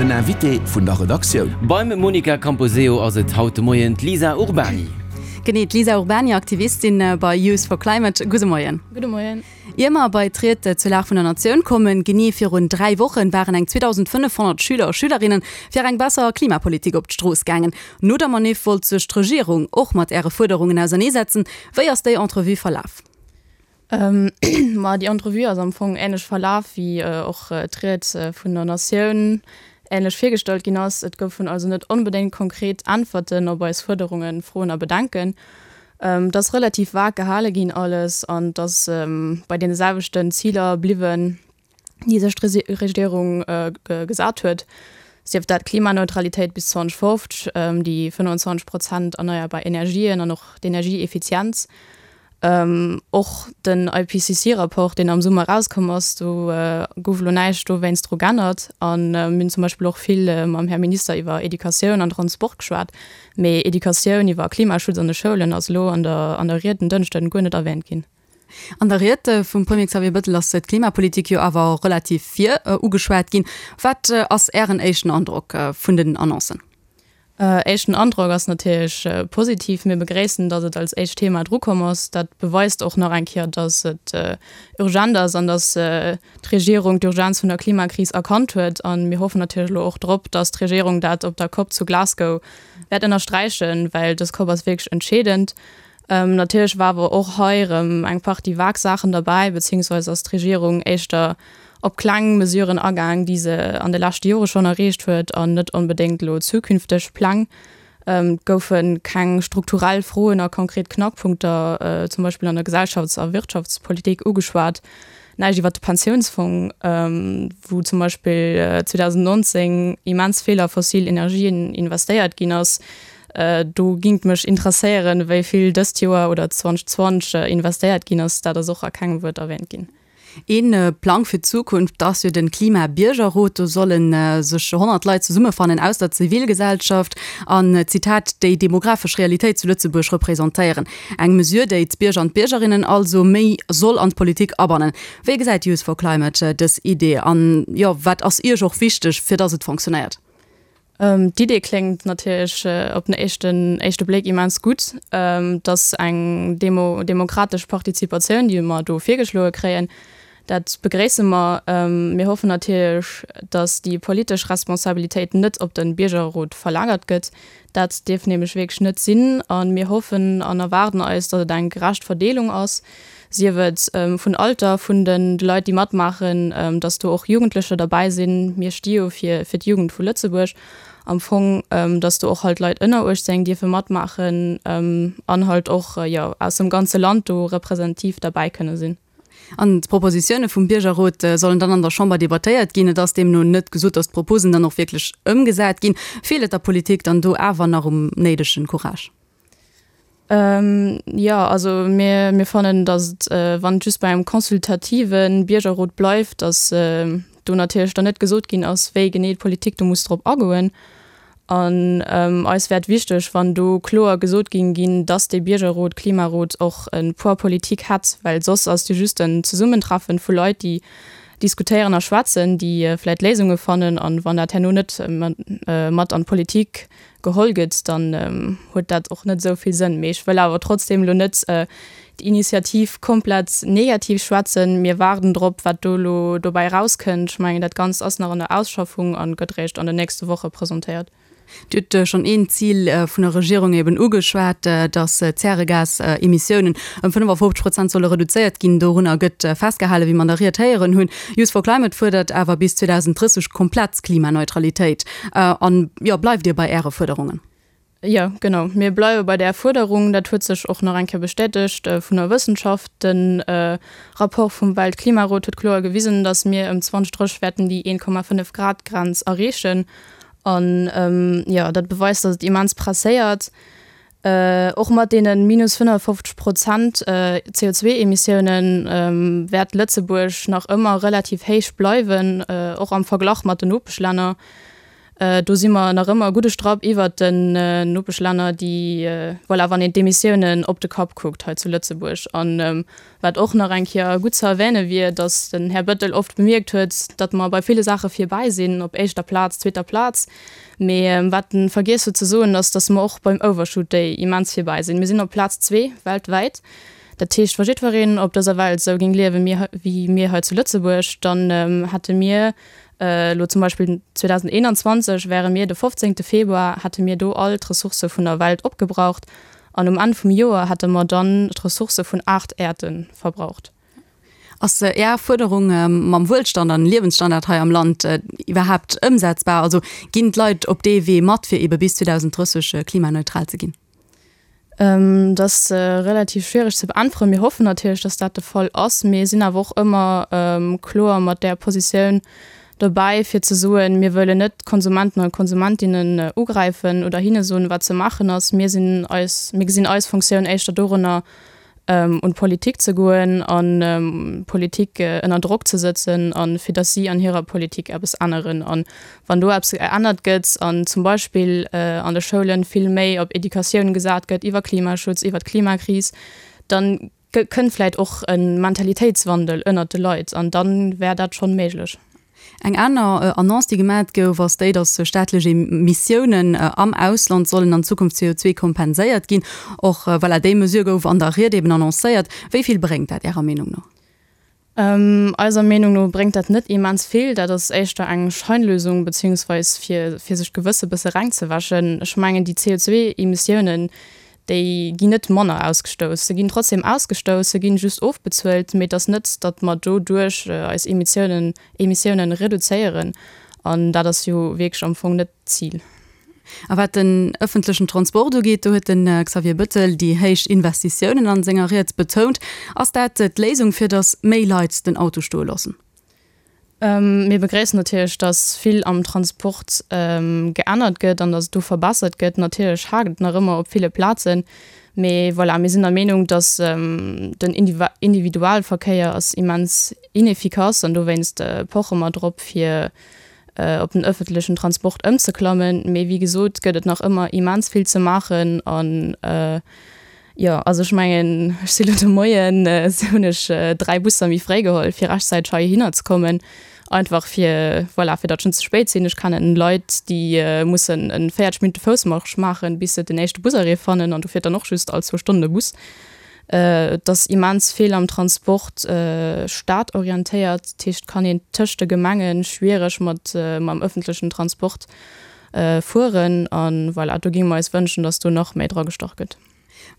Den Invité vun der Redaktioun. Beim Monica Camposeo ass et haut de Moien d'Lisa Urbany. Genee, d'Lisa Urbany, Aktivistin bei Youth for Climate. Gudde Moien. Gudde Moien. Ier mer bei d'Ried zur Lag vun der Natioun kommen, genee virun 3 Wochen waren eng 2.500 Schüler a Schülerinnen fir eng besser Klimapolitik op d'Strooss gaangen. No der Maniff wollt sech d'Regierung och mat Äre Fuerderungen auserneesetzen. Wéi ass déi Entrevue verlaf? Ma déi Entrevue ass am Fong änlech verlaf, wéi och d'Ried vun der Natioun änlech virgestallt ginn ass. Et goufen also net onbedéngt konkret Äntwerten op eis Fuerderungen, Froen a Bedenken. Et ass relativ vag gehale ginn alles an et ass bei deene selwechten Ziler bliwwen, déi sech d'Regierung gesat huet, sief dat d'Klimaneutralitéit bis 2050, déi 25 Prozent erneierbar Energien an och d'Energieeffizienz. Och den IPCC-Rapport, deen am Summer erauskomm ass, do gouf elo näischt dowéinst dru g'ännert. A mir hunn zum Beispill och vill mam Här Minister iwwer Educatioun an Transport geschwat, mee Educatioun iwwer Klimaschutz an de Schoulen ass elo an der an der Ried en Dënschden guer net erwähnt ginn. An der Ried vum Premier Xavier Bettel ass d'Klimapolitik jo awer relativ vir ugeschwat ginn. Wat ass Ären éischten Androck vun den Annoncen? Éischten Androck ass natierlech positiv. Mir begréissen, datt et als éischt Thema drukomm ass. Dat beweist och nach eng Kéier, datt et urgent ass an datt d'Regierung d'Urgenz vun der Klimakris erkannt huet. A mir hoffen natierlech elo och drop, datt d'Regierung dat op der Cop zu Glasgow wäert ënnersträichen, well dës Cop ass wierklech entscheedend. Natierlech war awer och hei erëm eng Partie vag Saachen derbäi, beziehungsweise ass d'Regierung éischter op kleng Mesuren agaang, déi se an de leschte Jore schonn erreecht huet, an net onbedéngt elo zukünfteg Pläng. Et goufe keng strukturell Froen a konkret Knackpunkter, zum Beispill an der Gesellschafts a Wirtschaftspolitik, ugeschwat. Näischt iwwert de Pensiounsfong, wou zum Beispill 2019 immens vill a fossil Energien investéiert ginn ass. Do gingt mech interesséieren, wéi vill dëst Joer oder 2020 investéiert ginn ass. Dat ass och a kengem Wuert erwähnt ginn. Ee Plang fir d'Zukunft ass jo de Klima-Biergerrot. Do solle sech 100 Leit zesummefannen aus der Zivilgesellschaft an, Zitat, déi demografesch Realitéit zu Lëtzebuerg representéieren. Eng Mesure, déi d'Bierger an d'Biergerinnen also méi soll an d'Politik abannen. Wéi gesäit Youth for Climate dës Idee an, jo, wat ass Iech och wichteg, fir datt et fonctionnéiert? D'Idee kléngt natierlech op den éischten éischte Bléck immens gutt. Et ass eng demo demokratesch Partizipatioun, déi mer do virgeschloe kréien. Dat begréisse mer. Mir hoffen natierlech, datt déi politesch Responsabilitéit net op de Biergerrot verlagert gëtt. Dat dierf nämlech wierklech net sinn. A mir hoffen an erwaarden eis, datt et eng gerecht Verdeelung ass, sief et vun Alter vun de Leit, déi matmaachen, datt do och Jugendlecher derbäi sinn. Mir sti jo fir d'Jugend vu Lëtzebuerg am Fong, datt do och halt Leit ënner 18 dierfe matmaachen an halt och, jo, aus dem ganze Land do representativ derbäi kënne sinn. An d'Propositioune vum Biergerrot sollen dann an der Chamber debattéiert ginn. Et ass deemno net gesot, datt d'Proposen dann och wierklech ëmgesat ginn. Feelt et der Politik dann do awer nach um néidegen Courage? Jo, also mir, mir fannen, datt et, wann et just bei engem consultative Biergerrot bleift, datt do natierlech dann net gesot ginn ass, wéi genee d'Politik do muss drop agoen. An eis wär et wichteg, wann do kloer gesot géing ginn, datt dee Biergerrot, Klimarot och e Poids politique hätt, well soss ass et jo just en Zesummentreffen vu Leit, déi diskutéieren a schwätzen, déi vläicht Léisunge fannen. An wann dat herno net mat an d'Politik geholl gëtt, dann huet dat och net esou vill Sënn. Mee ech wëll awer trotzdem elo net d'Initiativ komplett negativ schwätzen. Mir waarden drop, wat do elo dobäi erauskënnt. Ech mengen, dat Ganzt ass nach an der Ausschaffung a gëtt eréischt an den nächste Woche presentéiert. Dir hutt schonn een Zil vun der Regierung eben ugeschwat, datt d'Zäregasemissiounen ëm 55 Prozent solle reduzéiert ginn. Dorunner gëtt festgehalen, wéi mer an der Ried héieren hunn. Youth for Climate fuerdert awer bis 2030 komplett Klimaneutralitéit. An jo, bleift Dir bei Äre Fuerderungen? Jo, genau. Mir bleiwe bei där Fuerderung. Dat huet sech och nach eng Kéier bestätegt vun der Wëssenschaft. De Rapport vum Weltklimarot huet kloer gewisen, datt mir ëm 2030 wäerten déi 1,5 Grad Grenz erreechen. An jo, dat beweist, datt et immens presséiert. Och mat deene minus 55 Prozent CO2-Emissiounen wäert Lëtzebuerg nach ëmmer relativ héich bleiwen, och am Verglach mat den Nopeschlänner. Do si mer nach ëmmer e gudde Strapp iwwert den Nopeschlänner, déi, voilà, wann een d'Emissiounen op de Kapp kuckt hei zu Lëtzebuerg. An wat och nach eng Kéier gutt ze erwäne wier, datt den Här Bettel oft bemierkt huet, datt mer bei ville Saache virbäi sinn, op éischter Plaz, zweeter Plaz. Mee wat en vergiess huet ze soen, ass, datt mer och beim Overshoot Day immens virbäi sinn. Mir sinn op Plaz zwee weltwäit. Dat heescht, wa jiddwereen op dëser Welt esou géing liewen, wéi mir hei zu Lëtzebuerg, dann hätte mir Elo zum Beispill 2021 wäre mir de 15 Februar, hätte mir do all d'Ressourcë vun der Welt opgebraucht an um Enn vum Joer hätte mer dann d'Ressourcë vun 8 Äerde verbraucht. Ass Är Fuerderung mam Wuelstand an Liewensstandard hei am Land iwwerhaapt ëmsetzbar? Also ginn d'Leit op dee Wee mat, fir ebe bis 2030 klimaneutral ze ginn? Dat ass relativ schwiereg ze beäntweren. Mir hoffen natierlech, datt dat de Fall ass. Mir sinn awer och ëmmer kloer mat där Positioun dobäi, fir ze soen, mir wëllen net d'Konsumenten an d'Konsumentinnen ugräifen oder hinne soen, wat ze maachen ass. Mir sinn eis, mir gesinn eis Funktioun éischter dorënner, un d'Politik ze goen an d'Politik ënner Drock ze sëtzen a fir datt si an hirer Politik eppes änneren. A wann do eppes geännert gëtt an zum Beispill an de Schoulen vill méi op Educatioun gesat gëtt iwwer Klimaschutz, iwwer d'Klimakris, da kënnt vläicht och e Mentalitéitswandel ënnert de Leit an da wär dat schonn méiglech. Eng aner Annonce, déi gemat gouf, ass déi, datt staatlech Emissiounen am Ausland sollen an Zukunft CO2 kompenséiert ginn. Och voilà, déi Mesure gouf an der Ried eben annoncéiert. Wéi vill bréngt dat Ärer Meenung no? Eiser Meenung no bréngt dat net immens vill. Dat ass éischter eng Scheinlösung, beziehungsweis fir sech d'Gewësse bësse reng ze wäschen. Ech mengen, déi CO2-Emissiounen, déi ginn net manner ausgestouss. Se ginn trotzdem ausgestouss, se ginn just ofbezuelt, mee et ass net, datt mer doduerch eis Emissiounen, Emissiounen reduzéieren. An dat ass jo wierklech am Fong net d'Zil. A wat den ëffentlechen Transport ugeet, do huet de Xavier Bettel déi héich Investitiounen an senger Ried betount. Ass dat d'Léisung, fir datt méi Leit den Auto stoe loossen? Mir begréissen natierlech, dass vill am Transport geännert gëtt an dass et do verbessert gëtt. Natierlech haakt et nach ëmmer op ville Plazen, mee voilà, mir sinn der Meenung, dass den Individualverkéier ass immens inefficace an dowéinst poche mer drop, fir op den ëffentlechen Transport ëmzeklammen. Mee wéi gesot gëtt et nach ëmmer immens vill ze maachen an Jo, also ech mengen, ech si lo de Moien, hunn ech 3 Busser méi fréi geholl, fir rechtzäiteg heihinner ze kommen, einfach fir, voilà, fir datt ech net ze spéit sinn. Ech kennen Leit, déi mussen en 40 Minutte Foussmarsch maachen, bis se den éischte Busarrêt fannen, an do fiert dann och just all zwou Stonnen e Bus. Et ass immens vill am Transport stadorientéiert, dat heescht, et kann een tëscht de Gemenge schwiereg mat mam ëffentlechen Transport fueren an voilà, do géinge mer eis wënschen, dass do nach méi dra gestach gëtt.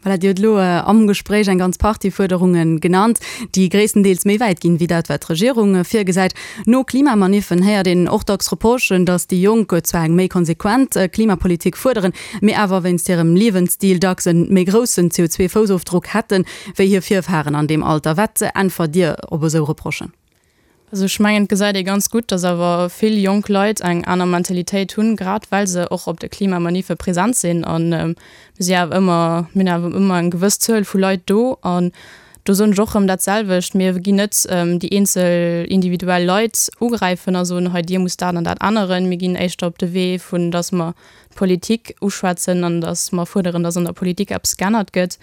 Voilà, Dir hutt elo am Gespréich eng ganz Partie Fuerderunge genannt, déi gréisstendeels méi wäit ginn, wéi dat, wat d'Regierung virgesäit. No Klimamaniffen héiert een och dacks Reprochen, datt déi Jonk zwar eng méi konsequent Klimapolitik fuerderen, mee awer wéinst hirem Liewensstil dacks e méi groussen CO2-Foussofdrock hätten, wéi hir Virfaren an deem Alter. Wat äntwert Dir op esou Reprochen? Also ech mengen, et gesäit ee ganz gutt, datt awer vill jonk Leit eng aner Mentalitéit hunn, grad well se och op de Klimamaniffe present sinn. A mir si awer ëmmer, mir hunn awer ëmmer eng gewëss Zuel vu Leit do. An do soen ech och erëm dat selwecht, Mir ginn net déi eenzel individuell Leit ugräifen a soen, hei dir musst dat an dat änneren. Mir ginn éischter op de Wee vun, datt mer d'Politik uschwätzen an datt mer fuerderen, datt an der Politik eppes geännert gëtt.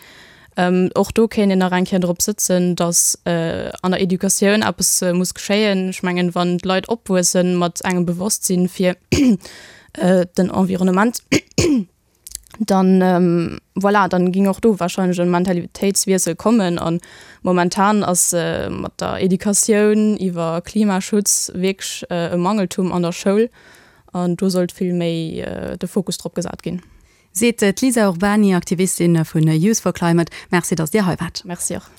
Och do kéint een nach eng Kéier drop sëtzen, datt an der Educatioun eppes muss geschéien. Ech mengen, wann d'Leit opwuesse mat engem Bewosstsinn fir den Environnement, dann, voilà, dann géing och do wahrscheinlech e Mentalitéitswiessel kommen. A momentan ass mat der Educatioun iwwer Klimaschutz wierklech e Mangeltum an der Schoul an do sollt vill méi de Fokus drop gesat ginn. Seet d'Lisa Urbany, Aktivistin vun Youth for Climate. Merci, datt Dir hei waart. Merci och.